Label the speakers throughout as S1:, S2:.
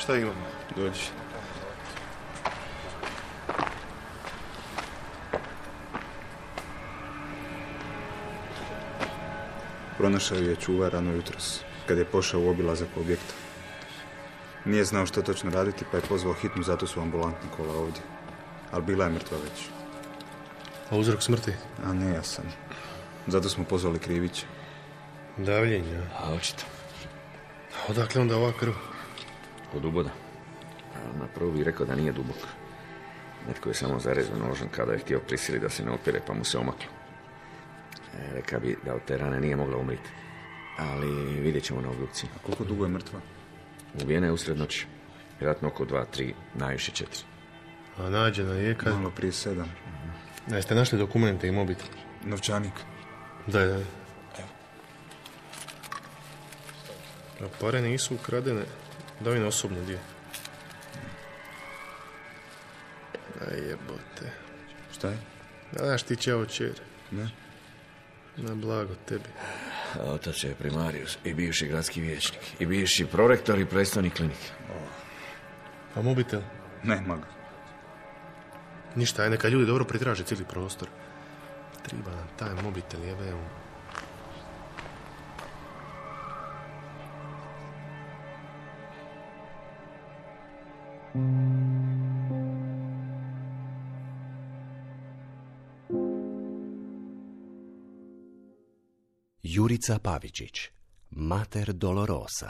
S1: Šta imamo?
S2: Dođi. Pronašao je čuvar rano jutros, kad je pošao u obilazak objekta. Nije znao što točno raditi, pa je pozvao hitnu, zato su ambulantna kola ovdje. Ali bila je mrtva već.
S1: A uzrok smrti?
S2: A nejasan. Zato smo pozvali Krivića.
S1: Davljenja.
S3: A očito.
S1: Odakle onda ova krv?
S3: Od uboda. Na prvu bih rekao da nije dubok. Netko je samo zarezao nožem kada je htio prisiliti da se ne opire, pa mu se omaklo. Reka bi da od te rane nije mogla umriti. Ali vidjet ćemo na obdukciji.
S2: A koliko dugo je mrtva?
S3: Ubijena je usred noći. Vjerojatno oko 2, 3, najviše 4.
S1: A nađena je kad?
S2: Malo prije 7.
S1: Jeste našli dokumente i mobitel?
S2: Novčanik.
S1: Daj. A pare nisu ukradene. Daj mi osobno dio. Aj jebote.
S2: Šta je?
S1: Znaš ti čeo čer.
S2: Ne?
S1: Na blago tebi.
S3: A otac je primarius i bivši gradski vijećnik. I bivši prorektor i predstavnik klinike.
S1: A mobitel?
S2: Nema ga.
S1: Ništa, aj neka ljudi dobro pritraže cijeli prostor. Treba nam taj mobitel, jebe mu.
S4: Jurica Pavičić, Mater Dolorosa.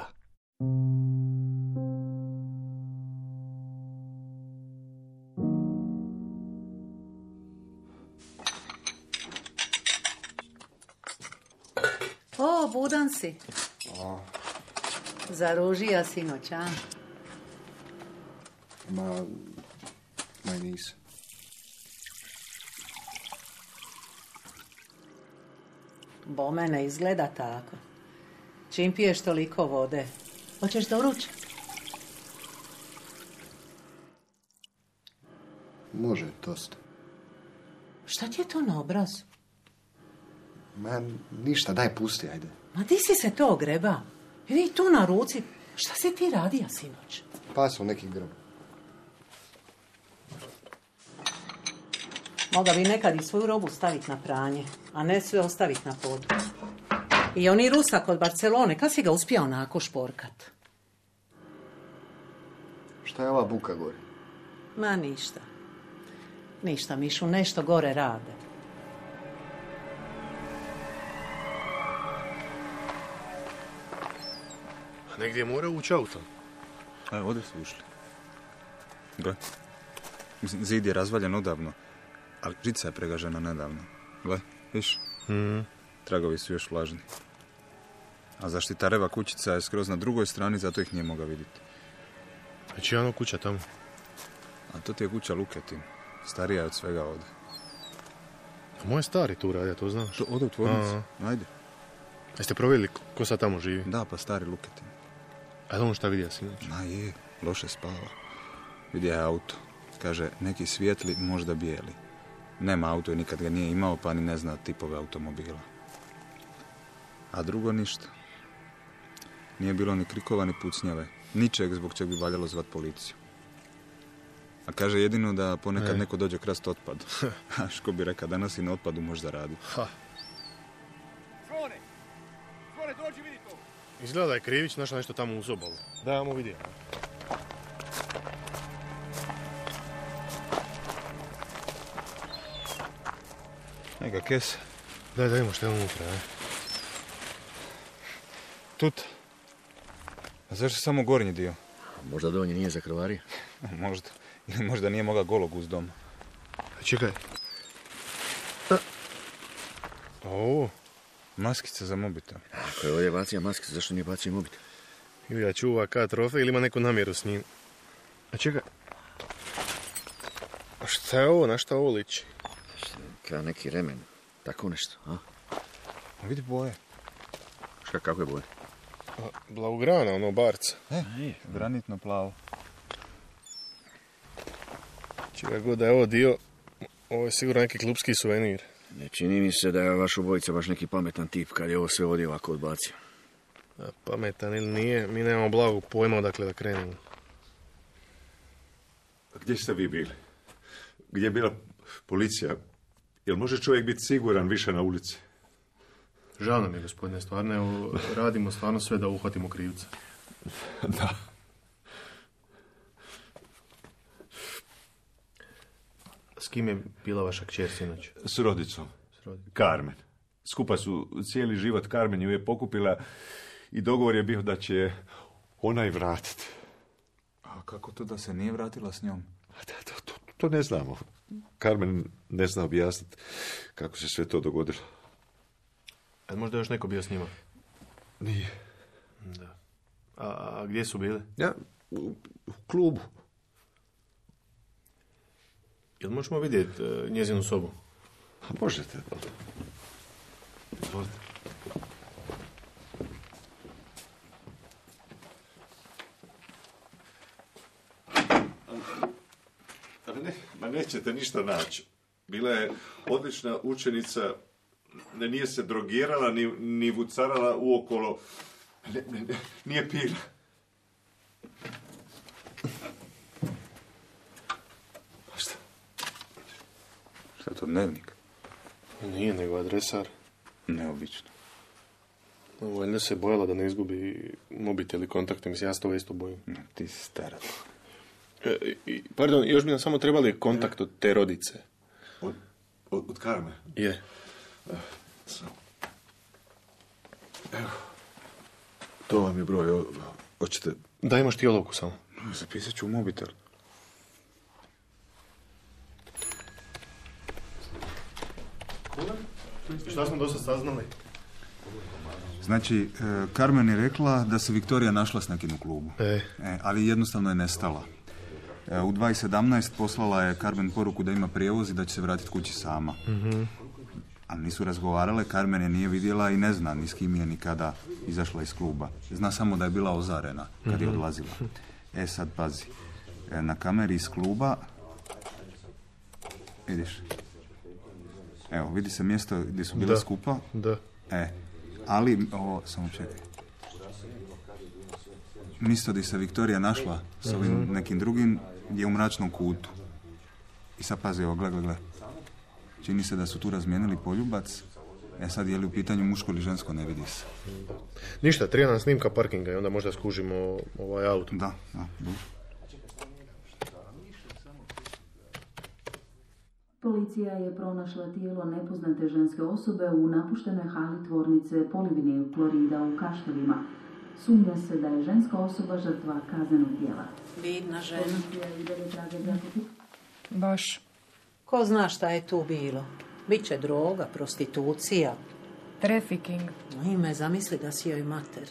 S5: O, budan si. Zaružija sinoć, a?
S6: Ma nisam.
S5: Bome ne izgleda tako. Čim piješ toliko vode. Hoćeš doručak?
S6: Može, tost.
S5: Šta ti je to na obrazu?
S6: Ma ništa, daj pusti, ajde.
S5: Ma di si se to ogreba? Vidi tu na ruci. Šta si ti radija sinoć?
S6: Pasao neki grob.
S5: Moga bi nekad i svoju robu staviti na pranje, a ne sve ostaviti na podu. I oni Rusak od Barcelone, kad si ga uspio onako šporkat?
S6: Šta je ova buka gore?
S5: Ma ništa. Ništa, Mišu, nešto gore rade.
S1: A negdje je morao ući autom.
S2: A, ovdje su ušli. Gle. Mislim, zid je razvaljen odavno, ali žica je pregažena nedavno. Gle, viš? Tragovi su još vlažni. A zaštitareva kućica je skroz na drugoj strani, zato ih nije mogao vidjeti.
S1: A čija ono kuća tamo?
S2: A to ti je kuća Luketin. Starija je od svega ovdje.
S1: A moj stari tu radi, ja to znaš.
S2: To ode u tvornicu. Ajde.
S1: Jeste provjerili ko sad tamo živi?
S2: Da, pa stari Luketin.
S1: A on šta vidio sinoć?
S2: Ma je, loše spava. Vidio je auto. Kaže, neki svijetli, možda bijeli. Nema auto i nikad ga nije imao, pa ni ne zna tipove automobila. A drugo ništa. Nije bilo ni krikova, ni pucnjave. Ničeg zbog čeg bi valjalo zvat policiju. A kaže jedino da ponekad neko dođe krast otpad. A ško bi rekao, danas i na otpadu možda radi.
S7: Zvone, dođi vidi to.
S1: Izgleda da je Krivić našao nešto tamo uz obalu. Da, ja mu vidio.
S2: Neka kesa.
S1: Daj, da imamo što je unutra, ne?
S2: Tut. A zašto samo gornji dio?
S3: Možda donji nije za krvarije?
S2: Možda. Ili možda nije mogao golog uz dom.
S1: Čekaj. Ovo?
S2: Maskica za mobitel.
S3: Ako je ovdje bacio maskicu, zašto nije bacio mobitel?
S1: Ili ga čuva ka trofej ili ima neku namjeru s njim. A čekaj. A šta je ovo? Na šta ovo liči?
S3: Kao neki remen. Tako nešto, a?
S2: A vidi boje.
S3: Šta, kako je boje?
S1: Blaugrana, ono barca.
S2: Granitno plavo.
S1: Čega god da je ovo dio, ovo je sigurno neki klubski suvenir.
S3: Ne čini mi se da je vaš obojica baš neki pametan tip kad je ovo sve ovdje ovako odbacio.
S1: A pametan ili nije, mi nemamo blagog pojma odakle da krenemo.
S8: Gdje ste vi bili? Gdje je bila policija? Jel može čovjek biti siguran više na ulici?
S1: Žao nam je, gospodine, stvarno, evo, radimo stvarno sve da uhvatimo krivca.
S8: Da.
S1: S kim je bila vaša kćer sinoć?
S8: S rodicom. Carmen. Skupa su cijeli život. Carmen ju je pokupila i dogovor je bio da će je ona i vratiti.
S2: A kako to da se nije vratila s njom?
S8: To ne znamo. Carmen ne zna objasniti kako se sve to dogodilo.
S1: A možda još neko bio s njima?
S8: Nije.
S1: Da. A gdje su bile?
S8: Ja, u klubu.
S1: Jel možemo vidjeti njezinu sobu?
S8: A možete. Izvolite. Ma nećete ništa naći. Bila je odlična učenica, nije se drogirala, ni vucarala uokolo. Nije pila.
S2: Šta je to, dnevnik?
S1: Nije, nego adresar.
S2: Neobično.
S1: Valjda se bojala da ne izgubi mobitel i kontakte. Mislim, ja se toga isto bojim.
S2: Ti si stara.
S1: Pardon, još bi nam samo trebali kontakt od te rodice.
S8: Od Carmen?
S1: Je.
S8: Evo. To vam je broj. Hoćete...
S1: Daj, imaš ti olovku samo.
S2: Zapisat ću u mobitel.
S1: Šta smo dosta saznali?
S2: Znači, Carmen je rekla da se Viktorija našla s nekim u klubu. Ali jednostavno je nestala. U 2:17 poslala je Carmen poruku da ima prijevoz i da će se vratiti kući sama. Ali nisu razgovarale, Carmen je nije vidjela i ne zna ni s kim je nikada izašla iz kluba. Zna samo da je bila ozarena kad je odlazila. Sad pazi. Na kameri iz kluba... Vidiš? Evo, vidi se mjesto gdje su bila skupa.
S1: Da.
S2: Ali, ovo, samo čekaj. Mjesto gdje se Viktorija našla s ovim nekim drugim je u mračnom kutu. I sad pazi, ovo, gle. Čini se da su tu razmijenili poljubac. Sad je li u pitanju muško ili žensko, ne vidi se.
S1: Ništa, treba nam snimka parkinga i onda možda skužimo ovaj auto.
S2: Da, dobro.
S9: Policija je pronašla tijelo nepoznate ženske osobe u napuštenoj hali tvornice polivinil klorida u Kaštevima. Sumnja se da je ženska osoba žrtva kaznenog djela.
S5: Vidna žena.
S9: Baš.
S5: Ko zna šta je tu bilo? Biće droga, prostitucija.
S9: Trafficking.
S5: Ime, zamisli da si joj mater.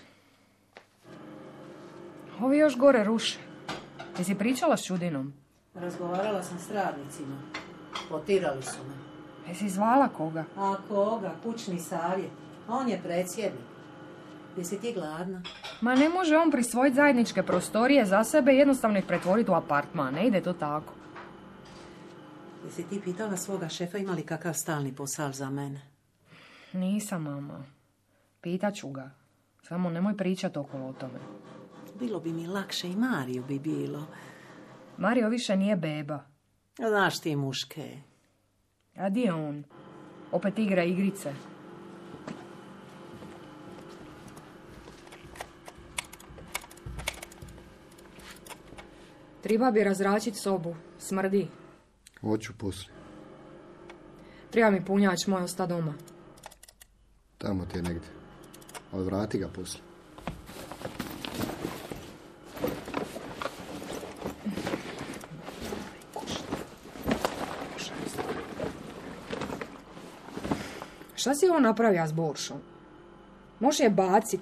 S9: Ovi još gore ruše. Jesi pričala s Čudinom?
S5: Razgovarala sam s radnicima. Potirali su me.
S9: Jesi zvala koga?
S5: A koga? Kućni savjet. On je predsjednik. Jesi ti gladna?
S9: Ma ne može on prisvojiti zajedničke prostorije za sebe i jednostavno ih pretvoriti u apartman. Ne ide to tako.
S5: Jesi ti pitala svoga šefa ima li kakav stalni posao za mene?
S9: Nisam, mama. Pitaću ga. Samo nemoj pričati okolo o tome.
S5: Bilo bi mi lakše i Mariju bi bilo.
S9: Mario više nije beba.
S5: Znaš ti muške.
S9: A di je on? Opet igra igrice. Treba bi razračiti sobu. Smrdi.
S6: Hoću poslije.
S9: Treba mi punjač, moj osta doma.
S6: Tamo ti je negdje. Ali vrati ga poslije.
S9: Šta si ovo napravio s Boršom? Može je bacit.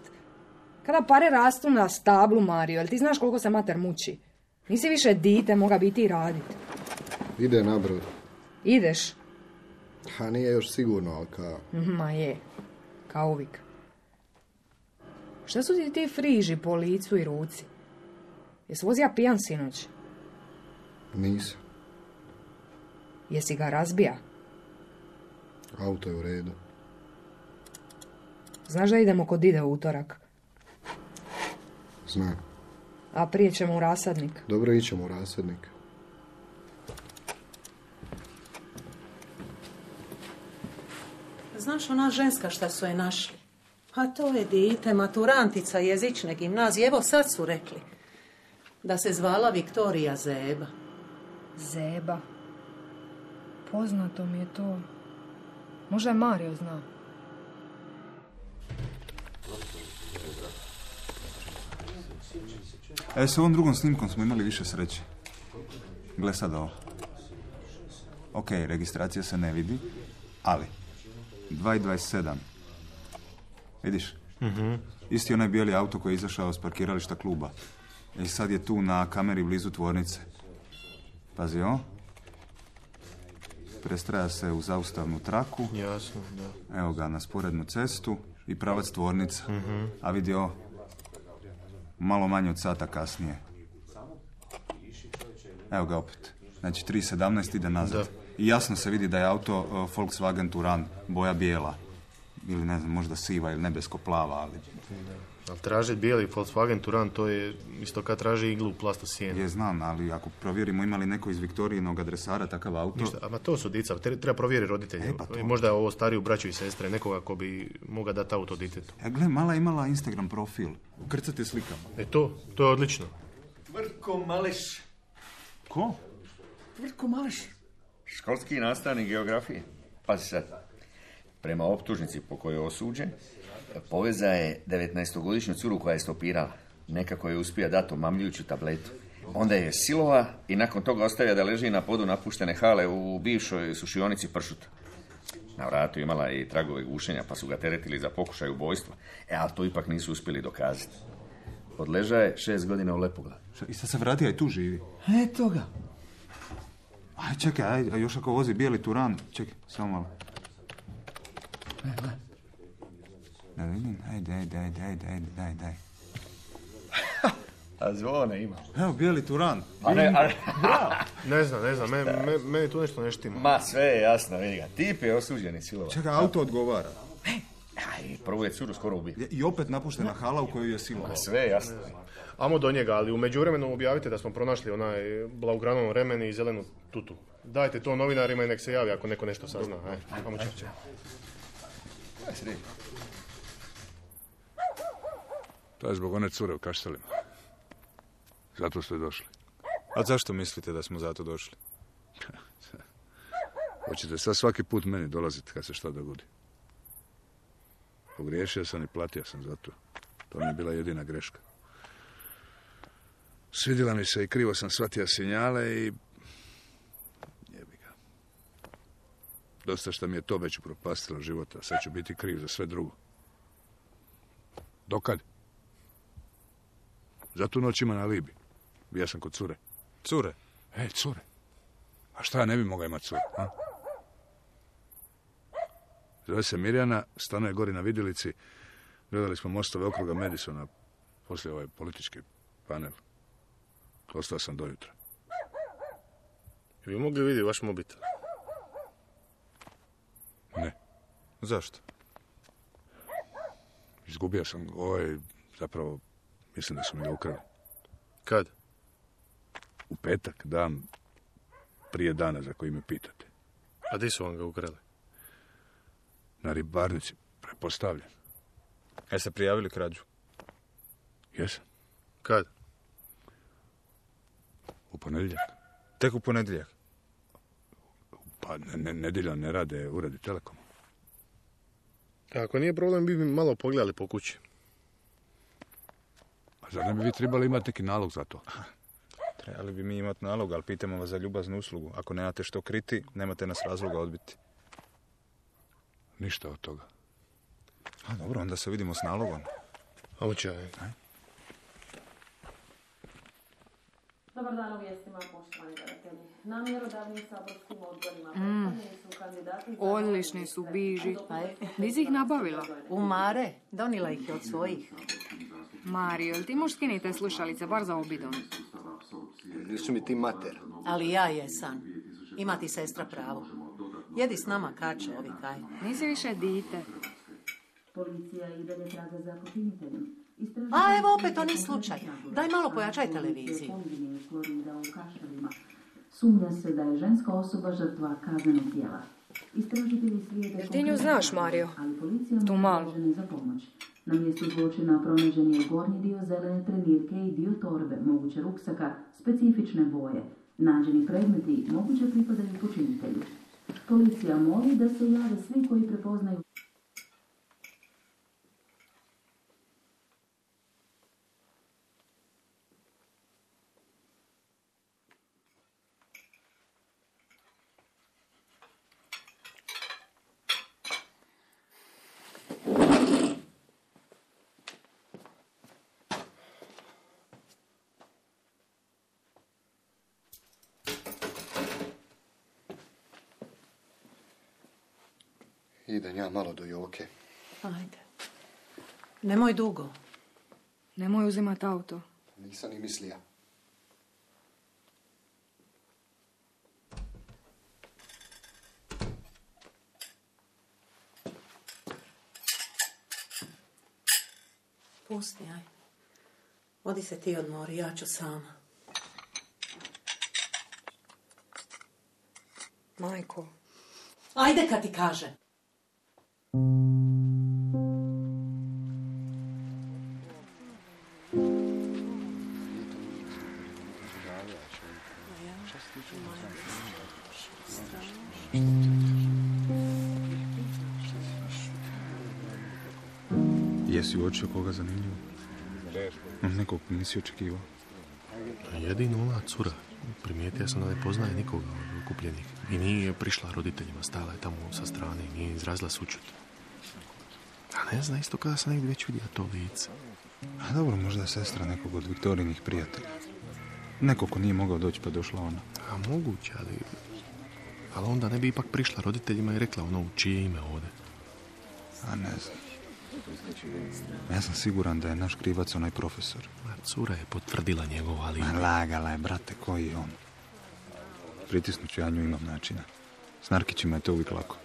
S9: Kada pare rastu na stablu, Mario, jel ti znaš koliko se mater muči? Nisi više dite, moga biti i radit.
S6: Ide na brod.
S9: Ideš?
S6: Ha, nije još sigurno, ali kao...
S9: Ma je, kao uvijek. Šta su ti friži po licu i ruci? Jesi vozija pijan sinoć?
S6: Nisam.
S9: Jesi ga razbija?
S6: Auto je u redu.
S9: Znaš da idemo kod Dide u utorak?
S6: Znam.
S9: A prije ćemo u rasadnik.
S6: Dobro, ićemo u rasadnik.
S5: Znaš, ona ženska šta su je našli? A to je dite, maturantica jezične gimnazije. Evo sad su rekli da se zvala Viktorija Zeba.
S9: Zeba. Poznato mi je to. Možda je Mario zna.
S2: S ovom drugom snimkom smo imali više sreće. Gle sad ovo. Ok, registracija se ne vidi, ali 2.27. Vidiš? Isti onaj bijeli auto koji je izašao s parkirališta kluba. I sad je tu na kameri blizu tvornice. Pazi ovo. Prestraja se u zaustavnu traku.
S1: Jasno, da.
S2: Evo ga na sporednu cestu i pravac tvornica. A vidi ovo. Malo manje od sata kasnije. Evo ga opet. Znači 3.17 ide nazad. Da. I jasno se vidi da je auto Volkswagen Touran, boja bijela. Ili ne znam, možda siva ili nebesko-plava, ali...
S1: Da. Ali tražiti bijeli Volkswagen Touran, to je isto kad traži iglu u plastu sjene.
S2: Je, znam, ali ako provjerimo ima li neko iz Viktorijinog adresara takav auto...
S1: Ništa, ama to su dica, treba provjeriti roditelje. Pa možda je ovo stariju braću i sestre, nekoga ko bi mogao dati auto ditetu.
S2: Gle, mala imala Instagram profil. Ukrcate slikama.
S1: To je odlično.
S3: Tvrtko Maleš.
S2: Ko?
S3: Tvrtko Maleš. Školski nastavnik geografije. Pazi sad. Prema optužnici po kojoj je osuđen, poveza je 19-godišnju curu koja je stopirala. Nekako je uspio dati omamljujuću tabletu. Onda je silova i nakon toga ostavio da leži na podu napuštene hale u bivšoj sušionici pršuta. Na vratu imala i tragove gušenja, pa su ga teretili za pokušaj ubojstva. Ali to ipak nisu uspjeli dokazati. Odleža je 6 godina u Lepoglavi.
S2: I sad se vratio i tu živi?
S3: Eto ga.
S2: Aj, čekaj, a još ako vozi bijeli Turan, čekaj, samo malo. Da vidim, daj.
S3: A zvone ima.
S2: Evo, bijeli Turan.
S1: Ne znam, meni tu nešto ne štima.
S3: Ma, sve je jasno, vidi ga. Tip je osuđeni silova.
S2: Čekaj, auto odgovara.
S3: Prvo je curu skoro ubio.
S2: I opet napuštena hala u kojoj je silova.
S3: Ma, sve je jasno.
S1: Amo do njega, ali u međuvremenu objavite da smo pronašli onaj blaugranom remen i zelenu tutu. Dajte to novinarima i nek se javi ako neko nešto sazna. Amo čekaj.
S10: To je zbog one cure u Kaštelima. Zato ste došli.
S2: A zašto mislite da smo zato došli?
S10: Hoćete sad svaki put meni dolaziti kad se šta dogodi. Pogriješio sam i platio sam za to. To mi je bila jedina greška. Svidjela mi se i krivo sam shvatio signale i... jebi ga. Dosta što mi je to već upropastilo života. Sad ću biti kriv za sve drugo. Dokad? Za tu noć ima na Libi. Bija sam kod cure.
S2: Cure?
S10: Cure. A šta ja ne bi mogao imati cure? A? Zove se Mirjana, stanuje gori na vidjelici. Gledali smo mostove okruga Madisona, poslije ovaj politički panel. Ostao sam do jutra.
S1: Bi mogli vidjeti vaš mobitel?
S10: Ne.
S2: Zašto?
S10: Izgubio sam zapravo, mislim da su mi ga ukrali.
S1: Kad?
S10: U petak, dan prije dana za koji me pitate.
S1: A di su vam ga ukrali?
S10: Na ribarnici, pretpostavljam.
S2: Jeste prijavili krađu?
S10: Jesam.
S1: Kad?
S10: U ponedjeljak.
S2: Tek u ponedjeljak?
S10: Pa nedjeljom ne rade uredi Telekoma.
S1: Ako nije problem, bi mi malo pogledali po kući.
S10: A zar ne bi vi trebali imati neki nalog za to?
S2: Trebali bi mi imati nalog, ali pitamo vas za ljubaznu uslugu. Ako nemate što kriti, nemate nas razloga odbiti.
S10: Ništa od toga.
S2: A dobro, onda se vidimo s nalogom.
S1: Ovo čaj.
S11: Dobar dan u vijestima, poštovani gledatelji. Na mjerodavnim saborskim odborima su kandidati...
S9: Odlični su biži. Di si ih nabavila?
S5: U Mare. Donila ih je od svojih.
S9: Mario, jel ti možeš skiniti te slušalice, bar za obidon?
S6: Nisu mi ti mater.
S5: Ali ja jesam. Ima ti sestra pravo. Jedi s nama kače, ovi kaj.
S9: Nisi više dite.
S11: Policija i dalje traga za počiniteljem.
S5: A evo opet oni slučaj. Daj malo pojačaj televiziju.
S11: Sumnja se da je ženska osoba žrtva kaznenog djela. Istražitelji slijede...
S9: Jel ti nju znaš, Mario?
S11: Ali policija
S9: Tu malu.
S11: za pomoć. Na mjestu zločina pronađen je gornji dio zelene trenirke i dio torbe, moguće ruksaka, specifične boje. Nađeni predmeti moguće pripadaju počinitelju. Policija moli da se jave svi koji prepoznaju...
S6: Idem ja malo do Joke.
S5: Ajde. Nemoj dugo.
S9: Nemoj uzimat auto.
S6: Nisam ni mislija.
S5: Pusti, aj. Odi se ti odmori, ja ću sama.
S9: Majko.
S5: Ajde kad ti kažem.
S2: Jesi uočio koga zanimljivo? Nekog nisi očekivao.
S1: Jedino ova cura. Primijetio sam da ne poznaje nikoga od okupljenih. I nije prišla roditeljima, stala je tamo sa strane i nije izrazila sućut. A ne zna, isto kada sam negdje već vidio to lice.
S2: A dobro, možda je sestra nekog od Viktorijinih prijatelja. Neko ko nije mogao doći pa došla ona.
S1: A moguće, ali onda ne bi ipak prišla roditeljima i rekla ono u čije ime ode.
S2: A ne znam. Ja sam siguran da je naš krivac onaj profesor.
S1: Cura je potvrdila njegov alibi.
S2: Lagala je, brate, koji je on? Pritisnuću ja nju, imam načina. S Narkićima je to uvijek lako.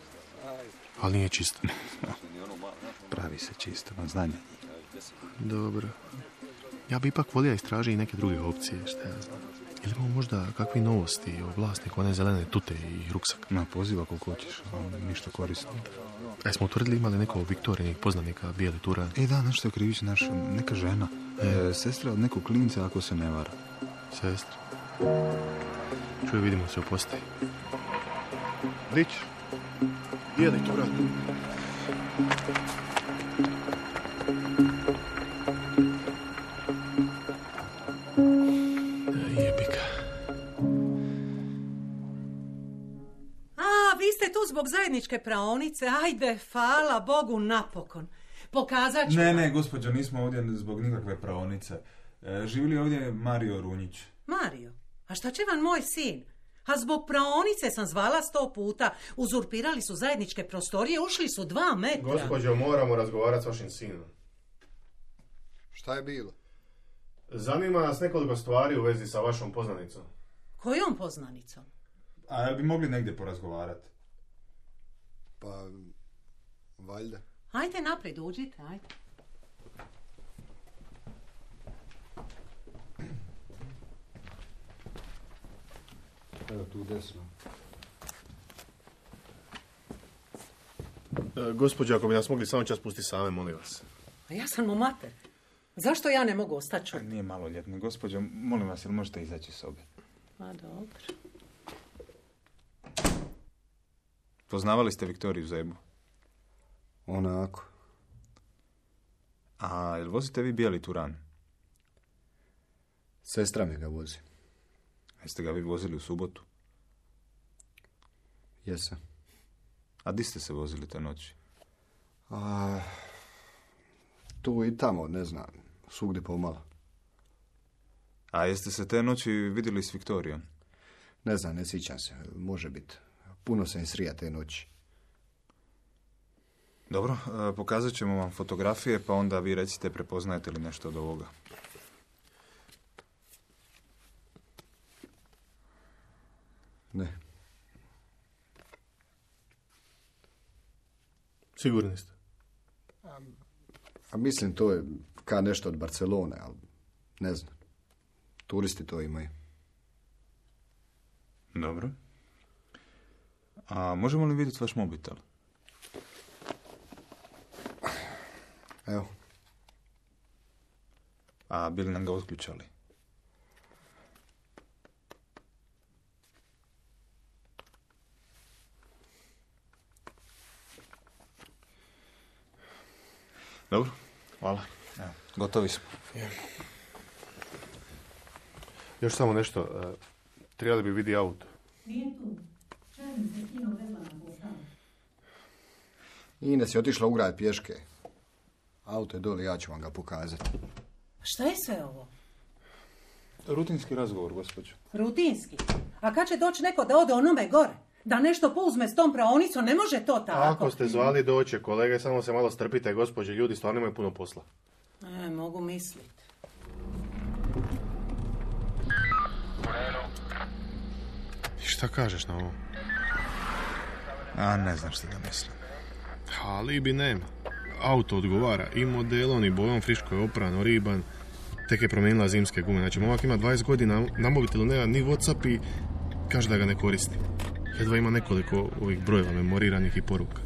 S1: Ali nije čisto.
S2: Pravi se čisto, na znanje.
S1: Dobro. Ja bi ipak volio istražiti i neke druge opcije, šta ja znam. Ili imamo možda kakvi novosti o vlasniku one zelene tute i ruksak?
S2: Ma, poziva koliko hoćeš, ali ništa korisno.
S1: A smo utvrdili imali neko Viktorijinih poznanika bijeli turan?
S2: Da, nešto je krivić naša, neka žena. Sestra od nekog klinca, ako se ne vara.
S1: Sestra. Čuj, vidimo se u postaji. Rić, bijeli turan. Jebika.
S5: Vi ste tu zbog zajedničke praonice. Ajde, hvala Bogu napokon. Pokazat ću...
S2: Ne, gospođo, nismo ovdje zbog nikakve praonice. Živi li ovdje Mario Runjić?
S5: Mario? A šta će vam moj sin? A zbog praonice sam zvala 100 puta. Uzurpirali su zajedničke prostorije, ušli su 2 metra.
S1: Gospođo, moramo razgovarati s vašim sinom.
S6: Šta je bilo?
S1: Zanima nas nekoliko stvari u vezi sa vašom poznanicom.
S5: Kojom poznanicom?
S2: A jel bi mogli negdje porazgovarati?
S6: Pa, valjda.
S5: Ajde naprijed, uđite, ajde.
S6: Evo tu desno.
S1: Gospođo, ako bi nas mogli samo čas pustiti same, molim vas.
S5: A ja sam mu mater. Zašto ja ne mogu ostati čuti?
S2: Nije maloljetni. Gospođo, molim vas, jel možete izaći iz sobe?
S5: A dobro.
S2: Poznavali ste Viktoriju Zebu?
S6: Onako.
S2: A jel vozite vi bijeli turan?
S6: Sestra mi ga vozi.
S2: Jeste ga vi vozili u subotu?
S6: Jesam.
S2: A di ste se vozili te noći?
S6: Tu i tamo, ne znam. Svugdje pomalo.
S2: A jeste se te noći vidjeli s Viktorijom?
S6: Ne znam, ne sjećam se. Može biti. Puno sam srija te noći.
S2: Dobro, pokazat ćemo vam fotografije, pa onda vi recite prepoznajete li nešto od ovoga.
S6: Ne.
S1: Sigurni ste?
S6: A mislim, to je kao nešto od Barcelone, ali ne znam. Turisti to imaju.
S2: Dobro. A možemo li vidjeti vaš mobitel?
S6: Evo.
S2: A bili nam ga otključali? Dobro, hvala. Evo, gotovi smo.
S1: Još samo nešto. Trebali bi vidi auto.
S5: Nije tu. Čajim se kino vezla na posao.
S6: Ines je otišla u grad pješke. Auto je dole, ja ću vam ga pokazati.
S5: Šta je sve ovo?
S2: Rutinski razgovor, gospođo.
S5: Rutinski? A kad će doći neko da ode onome gore? Da nešto pouzme s tom praonicom, ne može to tako.
S1: Ako ste zvali doće, kolege, samo se malo strpite, gospođe, ljudi stvarno imaju puno posla.
S5: Mogu misliti.
S1: Šta kažeš na ovo?
S2: A ne znam što da mislim.
S1: Alibi nema. Auto odgovara i modelom i bojom, friško je opran, oriban, tek je promijenila zimske gume. Znači, momak ima 20 godina, na mobitelu nema ni WhatsApp i kaže da ga ne koristi. Jedva ima nekoliko ovih brojeva memoriranih i poruka.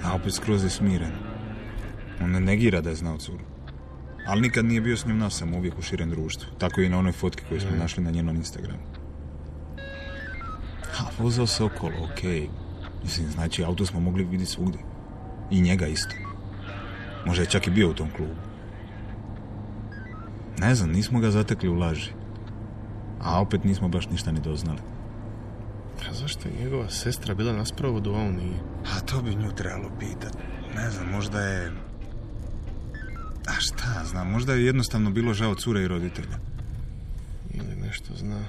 S2: A opet skroz je smiren. On ne negira da je znao curu. Ali nikad nije bio s njom nasam, uvijek u širem društvu. Tako i na onoj fotki koju smo našli na njenom Instagramu. A vozao se okolo, okej. Mislim, znači, auto smo mogli vidjeti svugdje. I njega isto. Možda je čak i bio u tom klubu. Ne znam, nismo ga zatekli u laži. A opet nismo baš ništa ni doznali.
S1: A zašto je njegova sestra bila na sprovodu, a on nije?
S2: A to bi nju trebalo pitati. Ne znam, možda je... A šta znam, možda je jednostavno bilo žao cure i roditelja.
S1: Ili nešto zna.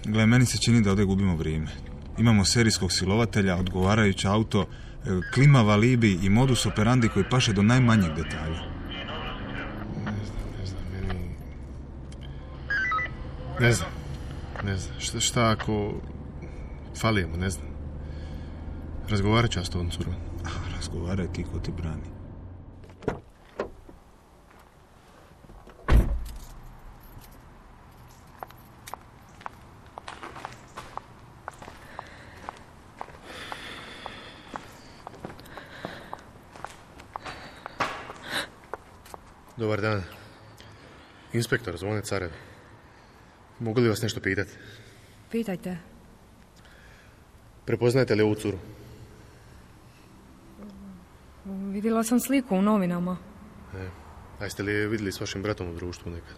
S2: Gle, meni se čini da ovdje gubimo vrijeme. Imamo serijskog silovatelja, odgovarajuće auto, klimav alibi i modus operandi koji paše do najmanjeg detalja.
S1: Ne znam, meni... Ne znam, šta ako... Falijemo, ne znam. Razgovarat ću ja s tom curom.
S2: Razgovaraj ti ko ti brani.
S1: Dobar dan. Inspektor, Zvone Carev. Mogu li vas nešto pitati?
S9: Pitajte.
S1: Prepoznajete li ovu curu?
S9: Vidjela sam sliku u novinama.
S1: A jeste li je vidjeli s vašim bratom u društvu nekad?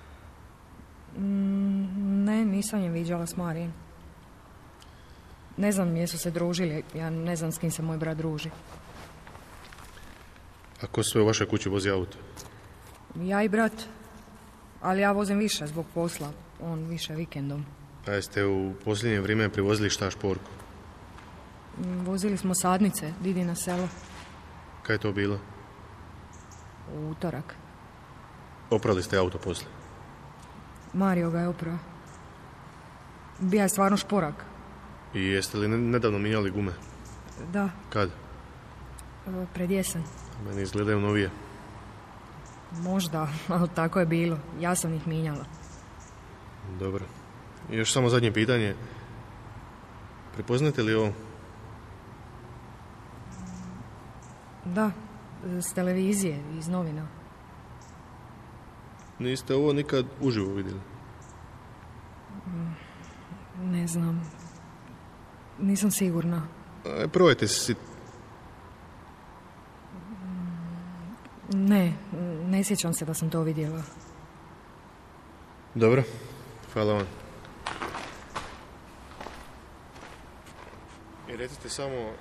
S9: Ne, nisam je viđala s Marijem. Ne znam jesu se družili, ja ne znam s kim se moj brat druži.
S1: A ko sve u vašoj kući vozi auto?
S9: Ja i brat, ali ja vozim više zbog posla, on više vikendom.
S1: A jeste u posljednje vrijeme privozili šta šporku?
S9: Vozili smo sadnice, Didi na selo.
S1: Kaj je to bilo?
S9: U utorak.
S1: Oprali ste auto poslije?
S9: Mario ga je oprao. Bija je stvarno šporak.
S1: I jeste li nedavno mijenjali gume?
S9: Da.
S1: Kad?
S9: Pred jesen.
S1: Meni izgledaju novije.
S9: Možda, ali tako je bilo. Ja sam ih mijenjala.
S1: Dobro. I još samo zadnje pitanje. Prepoznate li ovo?
S9: Da, s televizije, iz novina.
S1: Niste ovo nikad uživo vidjeli?
S9: Ne znam. Nisam sigurna.
S1: Probajte si...
S9: Ne sjećam se da sam to vidjela.
S1: Dobro, hvala vam. I recite samo...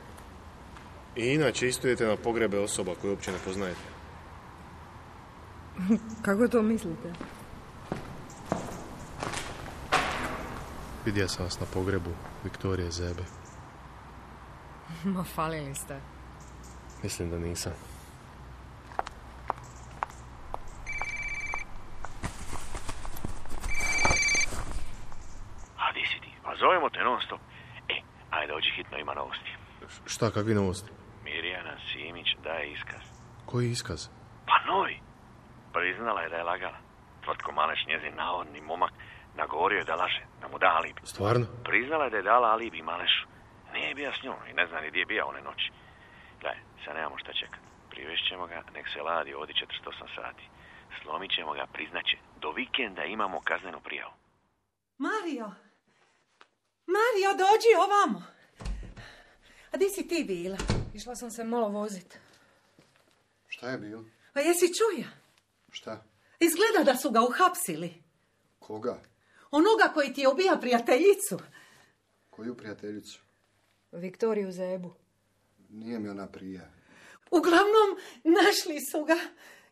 S1: I inače isto idete na pogrebe osoba koje uopće ne poznajete.
S9: Kako to mislite?
S1: Vidio sam vas na pogrebu Viktorije Zebe.
S9: Ma, falili ste.
S1: Mislim da nisam.
S12: A di si ti? Pa zovemo te non stop. Ajde, dođi hitno, ima novosti.
S1: Šta, kakvi novosti?
S12: Mirjana Simić daje iskaz.
S1: Koji iskaz?
S12: Pa novi. Priznala je da je lagala. Tvrtko Maleš, njezin navodni momak, nagovorio je da laže, da mu da alibi.
S1: Stvarno?
S12: Priznala je da je dala alibi Malešu. Nije bio s njom i ne zna ni gdje je bio one noći. Gledaj, sad nemamo šta čekati. Privešćemo ga, nek se ladi ovdje 48 sati. Slomit ćemo ga, priznaće. Do vikenda imamo kaznenu prijavu.
S5: Mario, dođi ovamo. A di si ti bila?
S9: Išla sam se malo vozit.
S6: Šta je bilo?
S5: A jesi čuja?
S6: Šta?
S5: Izgleda da su ga uhapsili.
S6: Koga?
S5: Onoga koji ti je ubija prijateljicu.
S6: Koju prijateljicu?
S9: Viktoriju Zebu.
S6: Nije mi ona prija.
S5: Uglavnom, našli su ga.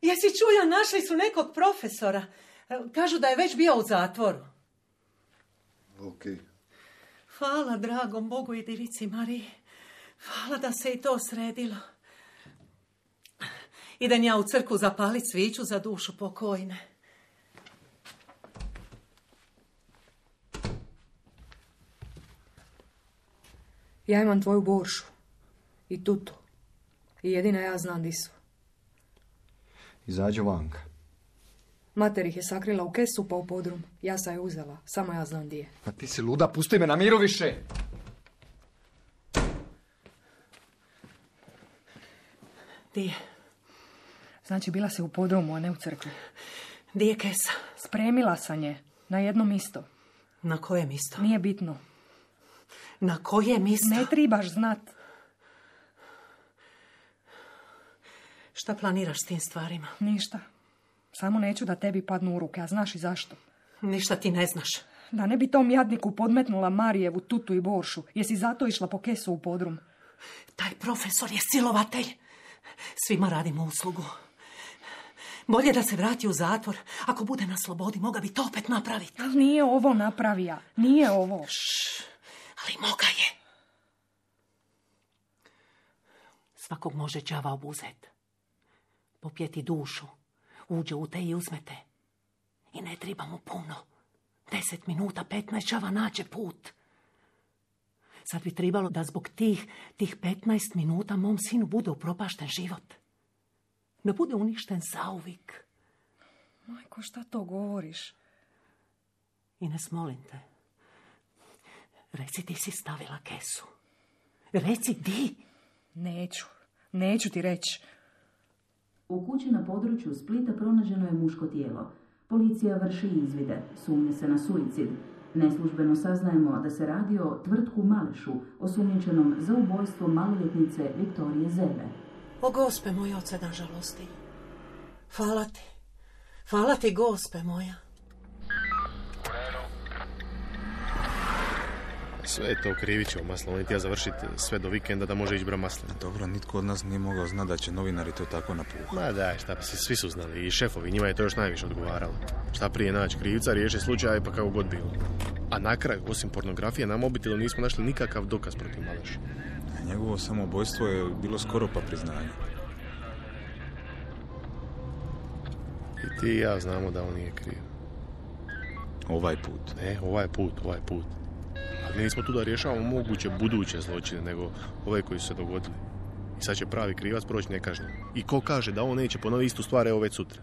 S5: Jesi čuja, našli su nekog profesora. Kažu da je već bio u zatvoru.
S6: Okej.
S5: Hvala dragom Bogu i Divici Mariji. Hvala da se i to sredilo. Idem ja u crkvu zapalit sviću za dušu pokojne.
S9: Ja imam tvoju boršu. I tutu. I jedina ja znam di su.
S6: Izađu vanka.
S9: Mater ih je sakrila u kesu pa u podrum. Ja sam je uzela. Samo ja znam di je.
S6: Pa ti si luda, pusti me na miru više.
S5: Di je?
S9: Znači, bila si u podrumu, a ne u crkvi.
S5: Di je kesa?
S9: Spremila sam je. Na jedno misto.
S5: Na koje misto?
S9: Nije bitno.
S5: Na koje misto?
S9: Ne tribaš znat.
S5: Šta planiraš s tim stvarima?
S9: Ništa. Samo neću da tebi padnu u ruke, a znaš i zašto?
S5: Ništa ti ne znaš.
S9: Da ne bi tom jadniku podmetnula Marijevu tutu i boršu. Jesi zato išla po kesu u podrum?
S5: Taj profesor je silovatelj. Svima radimo uslugu. Bolje da se vrati u zatvor. Ako bude na slobodi, moga bi to opet napraviti.
S9: Ali nije ovo napravija. Nije ovo.
S5: Ali moga je. Svakog može đava obuzet. Popjeti dušu. Uđe u te i uzmete. I ne treba mu puno. 10 minuta, 15 đava nađe put. Sad bi trebalo da zbog tih 15 minuta mom sinu bude upropašten život. Da bude uništen zauvijek.
S9: Majko, šta to govoriš?
S5: Ines, molim te. Reci, ti si stavila kesu. Reci, di?
S9: Neću ti reći.
S11: U kući na području Splita pronađeno je muško tijelo. Policija vrši izvide, sumnje se na suicid. Neslužbeno saznajemo da se radi o Tvrtku Malešu, osumnjičenom za ubojstvo maloljetnice Viktorije Zebe.
S5: O Gospe moj, oce na žalosti. Hvala ti, Gospe moja.
S1: Sve je to Krivićevo maslo, on je htio završiti sve do vikenda da može ići bra maslina.
S2: Dobro, nitko od nas nije mogao znati da će novinari to tako napuhati.
S1: Ma daj, šta pa svi su znali i šefovi, njima je to još najviše odgovaralo. Šta prije naći krivca, riješi slučaj pa kako god bilo. A na kraju, osim pornografije, na mobitelu nismo našli nikakav dokaz protiv Maleša.
S2: Njegovo samoubojstvo je bilo skoro pa priznanje.
S1: I ti i ja znamo da on nije kriv.
S2: Ovaj put.
S1: Ne, ovaj put. Ali nismo tu da rješavamo moguće buduće zločine, nego ove koji su se dogodili. I sad će pravi krivac proći nekažnjen. I ko kaže da on neće ponoviti istu stvar, evo već sutra.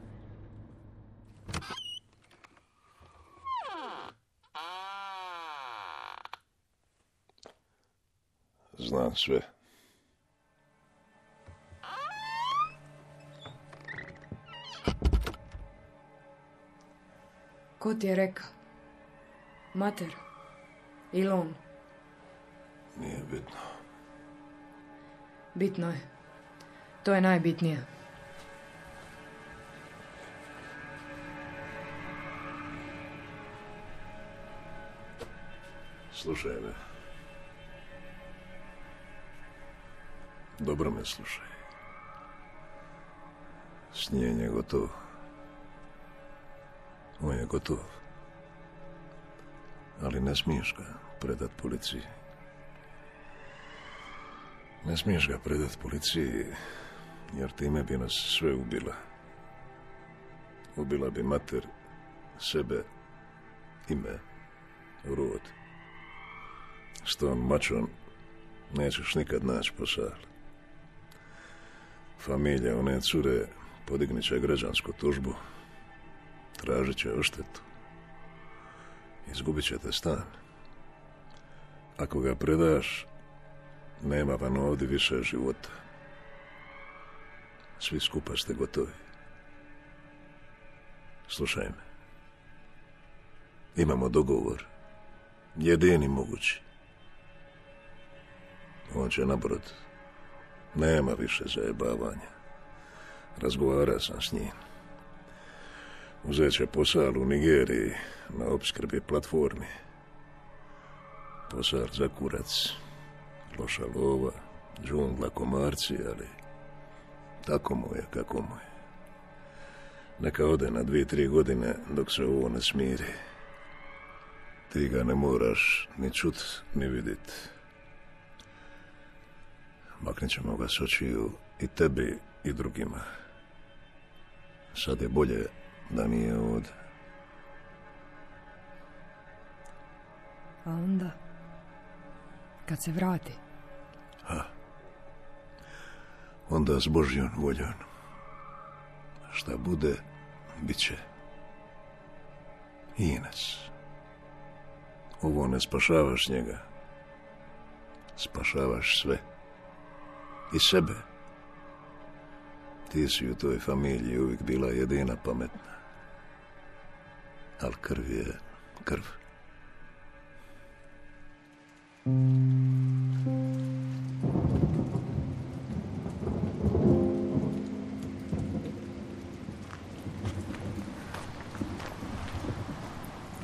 S13: Znam sve.
S9: Ko ti je rekao? Mater? Ili on?
S13: Nije bitno.
S9: Bitno je. To je najbitnije.
S13: Slušaj me. Dobro me slušaj. Snijanje je gotov. On je gotov. Ali ne smiješ ga predat policiji. Ne smiješ ga predat policiji, jer time bi nas sve ubila. Ubila bi mater, sebe, ime, rod. S tom mačom nećeš nikad naći posao. Familija one cure podignit će građansku tužbu, tražit će odštetu. Izgubit ćete stan. Ako ga predaš, Nema vam ovdje više života. Svi skupa ste gotovi. Slušaj me. Imamo dogovor. Jedini mogući. On će na brod. Nema više zajebavanja. Razgovarao sam s njim. Uzet će posao u Nigeriji na opskrbi platformi. Posao za kurac. Loša lova, džungla, komarci, ali tako mu je kako mu je. Neka ode na 2-3 godine dok se ovo ne smiri. Ti ga ne moraš ni čut, ni vidit. Maknit ćemo ga s očiju i tebi i drugima. Sad je bolje da nije ovdje.
S9: A onda, kad se vrati?
S13: Onda s Božjom voljom. Šta bude, bit će. Ines. Ovo ne spašavaš njega. Spašavaš sve. I sebe. Ti si u toj familiji uvijek bila jedina pametna. Ali krv je krv.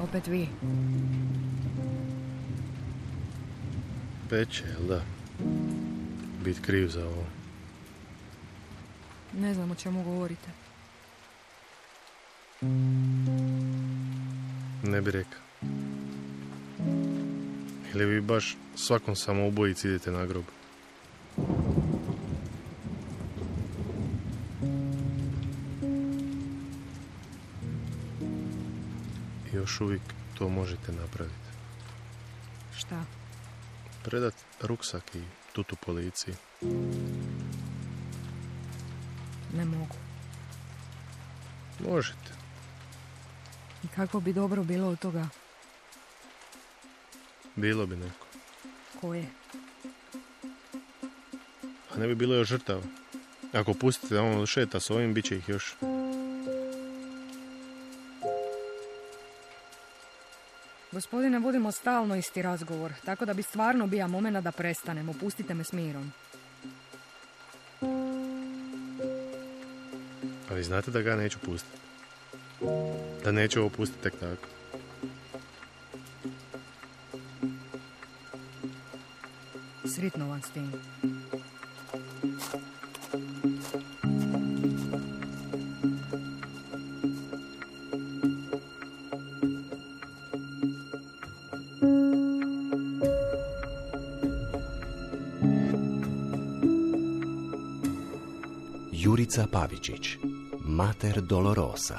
S9: Opet vi.
S1: Peče, jel da? Bit kriv za ovo.
S9: Ne znam o čemu govorite.
S1: Ne bi rekao. Ili vi baš svakom samoubojici idete na grob? Još uvijek to možete napraviti.
S9: Šta?
S1: Predat ruksak i tutu policiji.
S9: Ne mogu.
S1: Možete.
S9: I kako bi dobro bilo od toga?
S1: Bilo bi neko.
S9: Koje?
S1: A ne bi bilo još žrtava. Ako pustite da on šeta s ovim, bit će ih još.
S9: Gospodine, vodimo stalno isti razgovor, tako da bi stvarno bija momena da prestanemo. Pustite me s mirom.
S1: A vi znate da ga neću pustiti. Da neću ovo pustiti tek tako.
S9: Sritno vam s tim.
S4: Jurica Pavičić, Mater Dolorosa.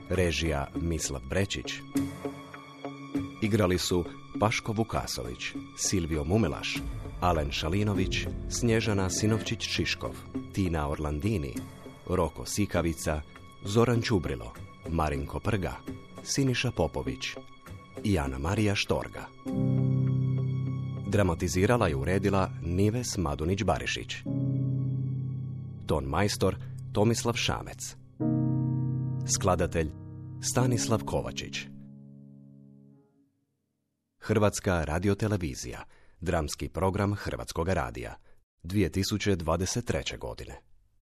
S4: Režija Mislav Brečić. Igrali su Paško Vukasović, Silvio Mumelaš, Alen Šalinović, Snježana Sinovčić-Čiškov, Tina Orlandini, Roko Sikavica, Zoran Čubrilo, Marinko Prga, Siniša Popović i Ana Marija Štorga. Dramatizirala i uredila Nives Madunić-Barišić. Ton majstor Tomislav Šamec. Skladatelj Stanislav Kovačić. Hrvatska radiotelevizija, dramski program Hrvatskoga radija, 2023. godine.